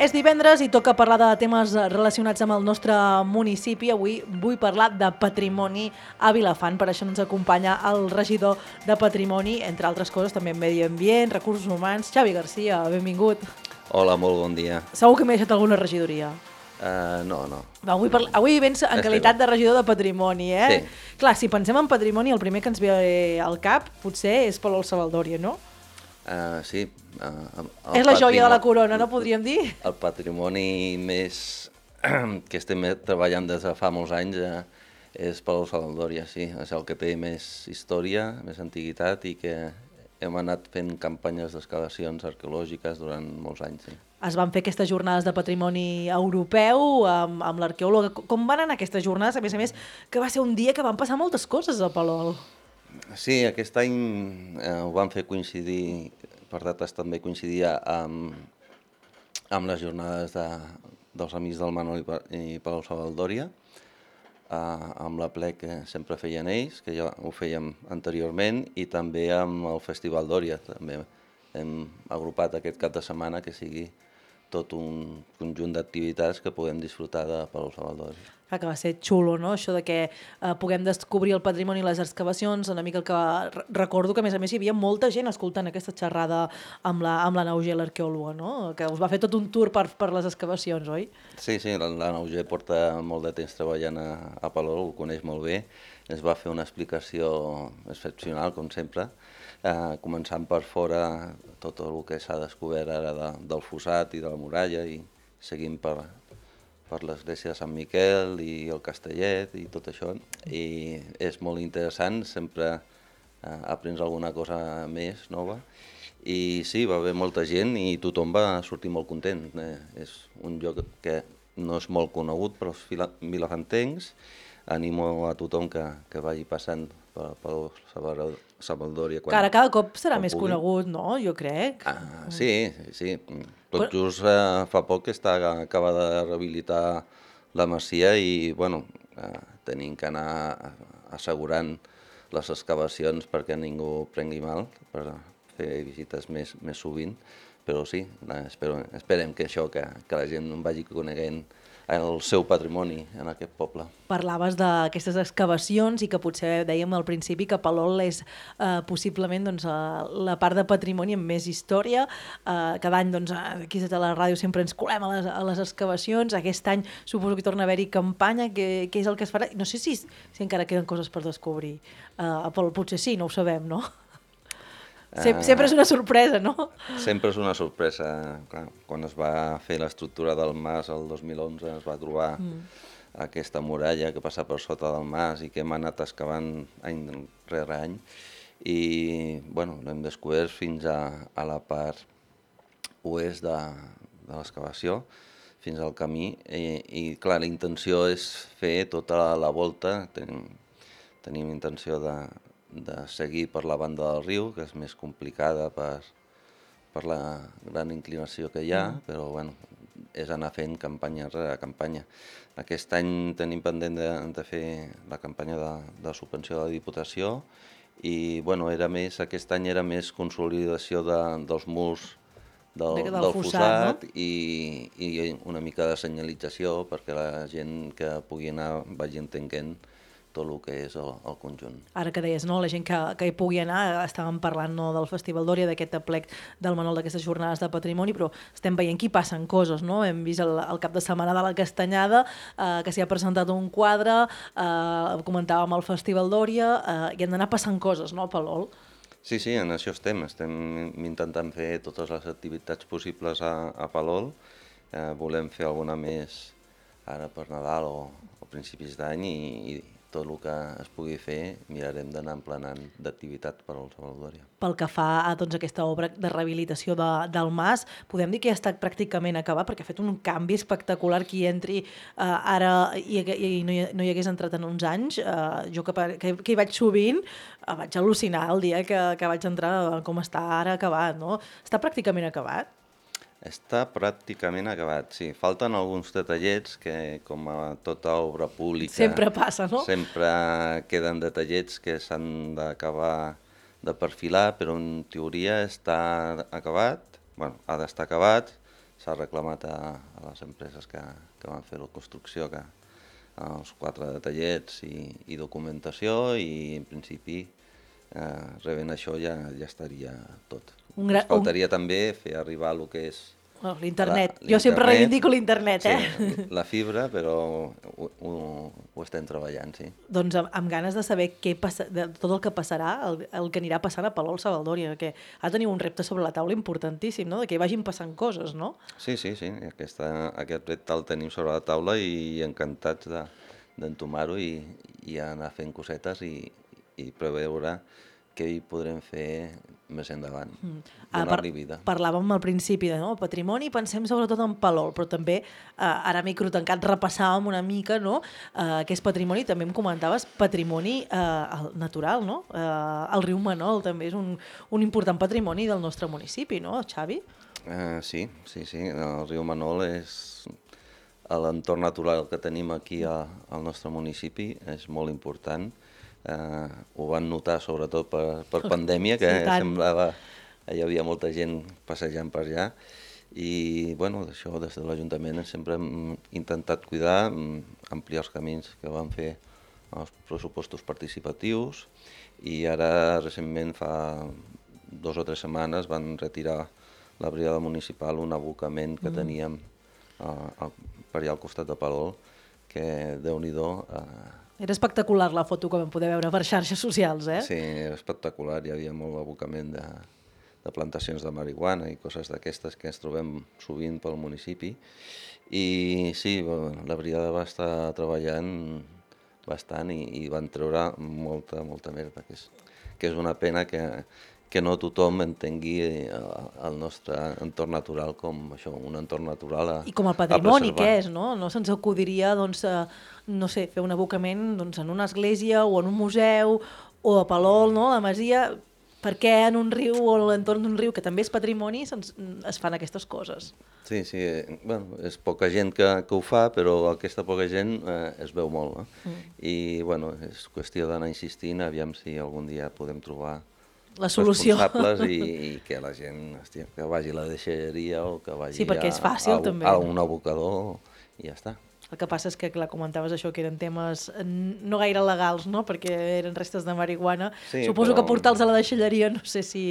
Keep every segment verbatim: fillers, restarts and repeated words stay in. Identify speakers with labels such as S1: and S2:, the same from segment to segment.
S1: És divendres i toca parlar de temes relacionats amb el nostre municipi. Avui vull parlar de patrimoni a Vilafant. Per això ens acompanya el regidor de Patrimoni, entre altres coses, també Medi Ambient, Recursos Humans, Xavi Garcia. Benvingut.
S2: Hola, molt bon dia.
S1: Segur que m'he deixat alguna regidoria.
S2: Uh, no, no.
S1: Va, avui, parla... avui vens en qualitat de regidor de Patrimoni, eh?
S2: Sí.
S1: Clar, si pensem en patrimoni, el primer que ens ve al cap potser és Palol Savaldòria, no?
S2: Uh, sí. Uh,
S1: és la joia de la corona, no podríem dir?
S2: El patrimoni més que estem treballant des de fa molts anys uh, és Palol Savaldòria, sí. És el que té més història, més antiguitat i que hem anat fent campanyes d'excavacions arqueològiques durant molts anys, sí.
S1: Es van fer aquestes jornades de patrimoni europeu amb, amb l'arqueòloga. Com van anar aquestes jornades? A més a més, que va ser un dia que van passar moltes coses a Palol.
S2: Sí, aquest any eh, ho van fer coincidir, per dates també coincidia amb, amb les jornades de, dels Amics del Manol i, i Palol Savaldòria, eh, amb la ple que sempre feien ells, que ja ho fèiem anteriorment, i també amb el Festival d'Òria. També hem agrupat aquest cap de setmana que sigui tot un conjunt d'activitats que puguem disfrutar de Palol Savaldòria.
S1: Clar, que va ser xulo, no?, això de que eh, puguem descobrir el patrimoni i les excavacions, una mica el que recordo que a més a més hi havia molta gent escoltant aquesta xerrada amb la, amb la Nauger, l'arqueòloga, no?, que us va fer tot un tour per, per les excavacions, oi?
S2: Sí, sí, la, la Nauger porta molt de temps treballant a, a Palol, ho coneix molt bé, ens va fer una explicació excepcional, com sempre, eh, començant per fora tot el que s'ha descobert ara de, del fossat i de la muralla i seguint per, per l'església de Sant Miquel i el Castellet i tot això. I és molt interessant, sempre eh, aprens alguna cosa més nova. I sí, va haver molta gent i tothom va sortir molt content. Eh, és un lloc que no és molt conegut per als vilafantencs. Animo a tothom que, que vagi passant per, per Savaldòria.
S1: Quan, Cara, cada cop serà més pugui. Conegut, no? Jo crec.
S2: Ah, sí, sí. Tot Però... just eh, fa poc que està acabada de rehabilitar la masia i, bueno, eh, tenim que anar assegurant les excavacions perquè ningú prengui mal, per fer visites més, més sovint. Però sí, espero, esperem que això, que, que la gent vagi coneguent el seu patrimoni en aquest poble.
S1: Parlaves d'aquestes excavacions i que potser dèiem al principi que Palol és eh, possiblement doncs, eh, la part de patrimoni amb més història. Eh, cada any doncs, aquí a la ràdio sempre ens colem a les, a les excavacions. Aquest any suposo que torna a haver-hi campanya. Què és el que es farà? No sé si, si encara queden coses per descobrir. Eh, a Palol potser sí, no ho sabem, no? Sempre, sempre és una sorpresa, no?
S2: Sempre és una sorpresa. Clar, quan es va fer l'estructura del mas el dos mil onze es va trobar mm. aquesta muralla que passa per sota del mas i que hem anat excavant any rere any i bueno, l'hem descobert fins a, a la part oest de, de l'excavació, fins al camí i, i clar, la intenció és fer tota la, la volta, tenim, tenim intenció de de seguir per la banda del riu, que és més complicada per, per la gran inclinació que hi ha, mm. però bueno, és anar fent campanya rere campanya. Aquest any tenim pendent de, de fer la campanya de, de subvenció de la Diputació i bueno, era més, aquest any era més consolidació de, dels murs del, del, del fossat, fossat no? i, i una mica de senyalització perquè la gent que pugui anar vagi entenent tot el que és el, el conjunt.
S1: Ara que deies, no, la gent que, que hi pugui anar, estàvem parlant no, del Festival d'Òria, d'aquest aplec del Manol d'aquestes jornades de patrimoni, però estem veient que hi passen coses, no? Hem vist el, el cap de setmana de la Castanyada, eh, que s'hi ha presentat un quadre, eh, comentàvem el Festival d'Òria, eh, i han d'anar passant coses, no, Palol?
S2: Sí, sí, en això estem. Estem intentant fer totes les activitats possibles a, a Palol. Eh, volem fer alguna més ara per Nadal o, o principis d'any i, i tot el que es pugui fer mirarem d'anar emplenant d'activitat per al Savaldòria.
S1: Pel que fa a doncs, aquesta obra de rehabilitació de, del mas, podem dir que ja ha estat pràcticament acabat perquè ha fet un canvi espectacular qui entri eh, ara i, i no, hi, no hi hagués entrat en uns anys. Eh, jo que, que, que hi vaig sovint eh, vaig al·lucinar el dia que, que vaig entrar com està ara acabat, no? Està pràcticament acabat?
S2: Està pràcticament acabat, sí. Falten alguns detallets que, com a tota obra pública...
S1: Sempre passa, no?
S2: Sempre queden detallets que s'han d'acabar de perfilar, però en teoria està acabat, bueno, ha d'estar acabat, s'ha reclamat a, a les empreses que, que van fer la construcció, que els quatre detallets i, i documentació, i en principi eh, rebent això ja, ja estaria tot.
S1: Un gra...
S2: Ens faltaria un... també fer arribar el que és
S1: oh, l'internet. Jo sempre reivindico l'internet, eh?
S2: Sí, la fibra, però ho, ho, ho estem treballant, sí.
S1: Doncs amb, amb ganes de saber què passa, de tot el que passarà, el, el que anirà passant a Palol Savaldòria, que ha de tenir un repte sobre la taula importantíssim, no? De que hi vagin passant coses, no?
S2: Sí, sí, sí. Aquesta, aquest repte el tenim sobre la taula i encantats de, d'entomar-ho i, i anar fent cosetes i, i preveure què hi podrem fer més endavant, mm. donar-li vida.
S1: Parlàvem al principi de no? patrimoni, pensem sobretot en Palol, però també, eh, ara microtancat, repassàvem una mica no? eh, què és patrimoni, també em comentaves patrimoni eh, natural, no? Eh, el riu Manol també és un, un important patrimoni del nostre municipi, no, Xavi?
S2: Eh, sí, sí, sí, el riu Manol és l'entorn natural que tenim aquí a, al nostre municipi, és molt important. Uh, ho van notar sobretot per, per pandèmia, que sí, semblava que hi havia molta gent passejant per allà, i bueno, això des de l'Ajuntament sempre hem intentat cuidar, ampliar els camins que van fer els pressupostos participatius, i ara recentment fa dos o tres setmanes van retirar la brigada municipal un abocament que mm. teníem uh, per allà al costat de Palol, que Déu-n'hi-do... Uh,
S1: Era espectacular la foto que vam poder veure per xarxes socials, eh?
S2: Sí, era espectacular. Hi havia molt abocament de, de plantacions de marihuana i coses d'aquestes que ens trobem sovint pel municipi. I sí, la brigada va estar treballant bastant i, i van treure molta, molta merda, que és, que és una pena que, que no tothom entengui el nostre entorn natural com això, un entorn natural a preservar.
S1: I com el patrimoni que és, no? No se'ns acudiria, doncs, a, no sé, fer un abocament doncs, en una església o en un museu o a Palol, no? A la Masia, per què en un riu o a l'entorn d'un riu, que també és patrimoni, es fan aquestes coses?
S2: Sí, sí, bueno, és poca gent que, que ho fa, però aquesta poca gent eh, es veu molt, no? Mm. I bueno, és qüestió d'anar insistint, aviam si algun dia podem trobar
S1: la solució.
S2: Responsables i, i que la gent hòstia, que vagi a la deixalleria o que vagi
S1: sí, perquè és fàcil,
S2: a, a,
S1: també.
S2: a un abocador i ja està.
S1: El que passa és que, clar, comentaves això, que eren temes no gaire legals, no?, perquè eren restes de marihuana. Sí, suposo però... que portar-los a la deixalleria, no sé si...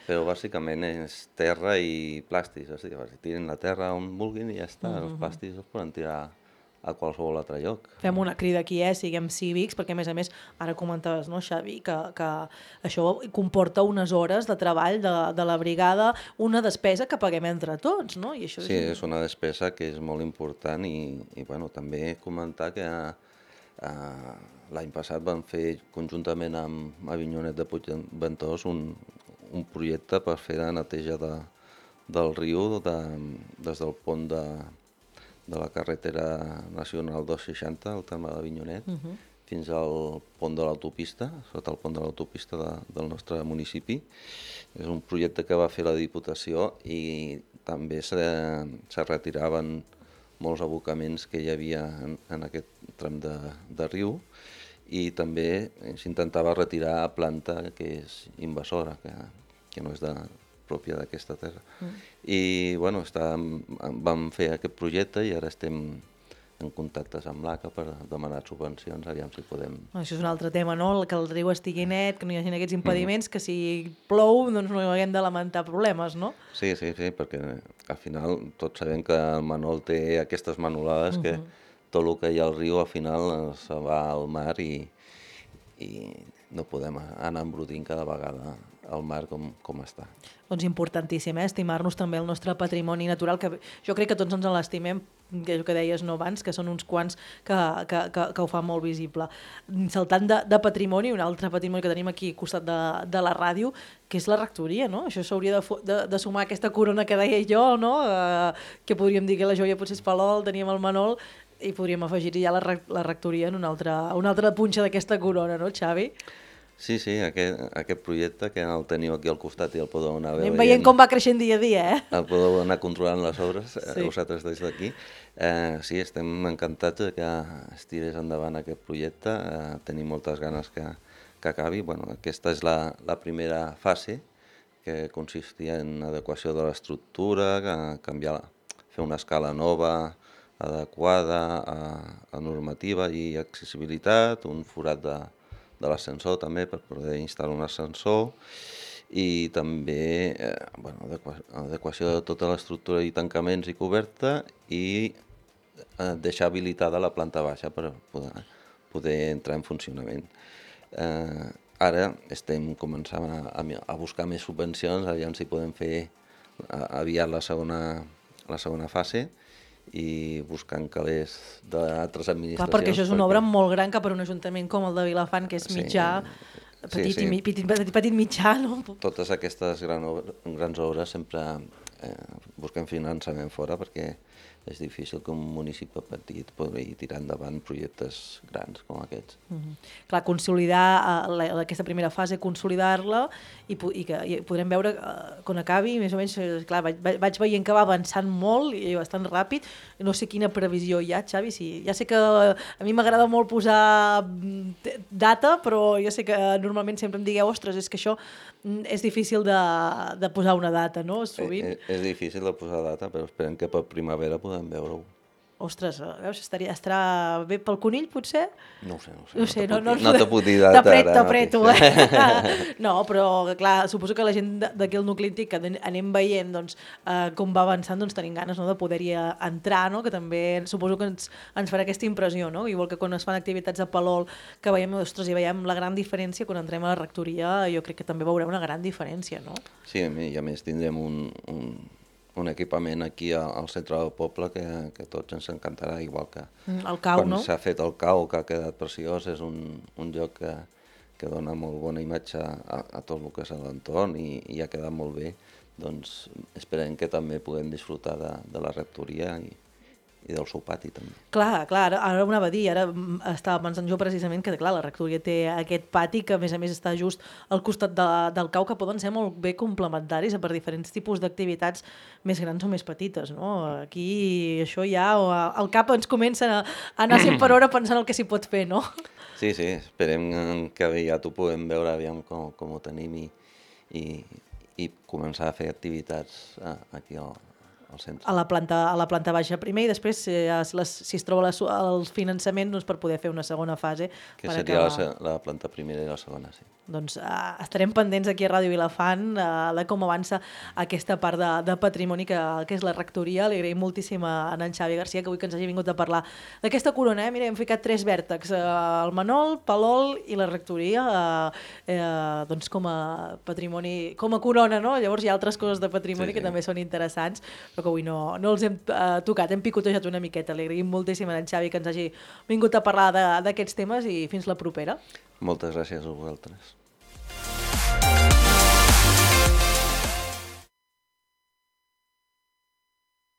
S2: Però bàsicament és terra i plàstics, o sigui, tiren la terra on vulguin i ja està, uh-huh. Els plàstics els poden tirar a qualsevol altre lloc.
S1: Fem una crida aquí, eh? Siguem cívics, perquè a més a més, ara comentaves, no, Xavi, que, que això comporta unes hores de treball de, de la brigada, una despesa que paguem entre tots, no? I això
S2: sí, és... és una despesa que és molt important i, i bueno, també comentar que eh, l'any passat vam fer conjuntament amb Avinyonet de Puigventós un, un projecte per fer la neteja de, del riu de, des del pont de de la carretera nacional dos seixanta, al terme d'Avinyonet, uh-huh. fins al pont de l'autopista, sota el pont de l'autopista de, del nostre municipi. És un projecte que va fer la Diputació i també se, se retiraven molts abocaments que hi havia en, en aquest tram de, de riu i també s'intentava retirar planta que és invasora, que, que no és de... pròpia d'aquesta terra. Mm. I bueno, està, vam fer aquest projecte i ara estem en contactes amb l'A C A per demanar subvencions, aviam si podem...
S1: Això és un altre tema, no? Que el riu estigui net, que no hi hagi aquests impediments, mm. que si plou doncs no haguem de lamentar problemes, no?
S2: Sí, sí, sí, perquè al final tots sabem que el Manol té aquestes manolades mm-hmm. que tot el que hi ha al riu al final se va al mar i, i no podem anar embrutint cada vegada al mar com, com està.
S1: Doncs importantíssim, eh? Estimar-nos també el nostre patrimoni natural, que jo crec que tots ens l'estimem, que és el que deies no abans, que són uns quants que, que, que, que ho fan molt visible. Saltant de, de patrimoni, un altre patrimoni que tenim aquí al costat de, de la ràdio, que és la rectoria, no? Això s'hauria de, de, de sumar aquesta corona que deia jo, no? Eh, que podríem dir que la joia potser és Palol, teníem el Manol, i podríem afegir ja la, la rectoria en una altra, una altra punxa d'aquesta corona, no, Xavi?
S2: Sí, sí, aquest, aquest projecte que el teniu aquí al costat i el podeu anar veient.
S1: Anem veient com va creixent dia a dia, eh?
S2: El podeu anar controlant les obres, sí. Vosaltres des d'aquí. Eh, sí, estem encantats que es tirés endavant aquest projecte, eh, tenim moltes ganes que, que acabi. Bueno, aquesta és la, la primera fase, que consistia en adequació de l'estructura, canviar fer una escala nova, adequada a, a normativa i accessibilitat, un forat de, de l'ascensor també per poder instal·lar un ascensor i també eh, bueno, adequa, adequació de tota l'estructura i tancaments i coberta i eh, deixar habilitada la planta baixa per poder, poder entrar en funcionament. Eh, ara estem començant a, a buscar més subvencions, aviam si podem fer aviat la segona, la segona fase i buscant calés d'altres administracions.
S1: Clar, perquè això és una perquè... obra molt gran que per un ajuntament com el de Vilafant, que és mitjà, sí, petit, sí, sí. I, petit, petit, petit mitjà, no?
S2: Totes aquestes gran obres, grans obres sempre eh, busquem finançament fora perquè és difícil que un municipi petit pugui tirar endavant projectes grans com aquests.
S1: Mm-hmm. Clar, consolidar uh, la, aquesta primera fase, consolidar-la i, i que i podrem veure uh, quan acabi, més o menys, clar, vaig, vaig veient que va avançant molt i bastant ràpid. No sé quina previsió hi ha, Xavi. Sí, ja sé que a mi m'agrada molt posar data, però jo sé que normalment sempre em digueu, ostres, és que això és difícil de, de posar una data, no? Sovint.
S2: És, és difícil de posar data, però esperem que per primavera podem veure-ho.
S1: Ostres, veus, estaria, estarà bé pel conill, potser?
S2: No ho sé, no ho sé.
S1: No, sé,
S2: no,
S1: no,
S2: no, no te puc dir data.
S1: T'apreto, t'apreto, eh? No, però, clar, suposo que la gent d'aquí al nucli antic, que anem veient doncs, eh, com va avançant, doncs tenim ganes, no, de poder-hi entrar, no? Que també suposo que ens, ens farà aquesta impressió, no? Igual que quan es fan activitats a Palol, que veiem, ostres, i veiem la gran diferència, quan entrem a la rectoria, jo crec que també veurem una gran diferència, no?
S2: Sí, i a més tindrem un... un... un equipament aquí al centre del poble que, que a tots ens encantarà, igual que
S1: el cau,
S2: quan
S1: no?
S2: s'ha fet el cau, que ha quedat preciós, és un, un lloc que, que dona molt bona imatge a, a tot el que és l'entorn i, i ha quedat molt bé, doncs esperem que també puguem disfrutar de, de la rectoria i, i del seu pati també.
S1: Clar, clar, ara, ara ho anava a dir, ara estava pensant jo precisament que clar, la rectoria té aquest pati que a més a més està just al costat de, del cau, que poden ser molt bé complementaris per diferents tipus d'activitats més grans o més petites, no? Aquí això ja, al cap ens comença a anar cent per hora pensant el que s'hi pot fer, no?
S2: Sí, sí, esperem que aviat ho puguem veure, aviam com, com ho tenim i, i, i començar a fer activitats aquí al
S1: a la planta a la planta baixa primer i després si, les, si es troba les, el finançament doncs, per poder fer una segona fase.
S2: Que seria acabar... la, la planta primera i la segona, sí.
S1: Doncs uh, estarem pendents aquí a Ràdio Vilafant uh, de com avança aquesta part de, de patrimoni que, que és la rectoria. Li agraïm moltíssim a en Xavi Garcia que avui que ens hagi vingut a parlar d'aquesta corona. Eh? Mira, hem ficat tres vèrtexs, uh, el Manol, Palol i la rectoria, uh, uh, doncs com a patrimoni, com a corona, no? Llavors hi ha altres coses de patrimoni sí, sí. que també són interessants, però que avui no, no els hem uh, tocat, hem picotejat una miqueta. Li agraïm moltíssim a en Xavi que ens hagi vingut a parlar d'aquests temes i fins la propera.
S2: Moltes gràcies a vosaltres.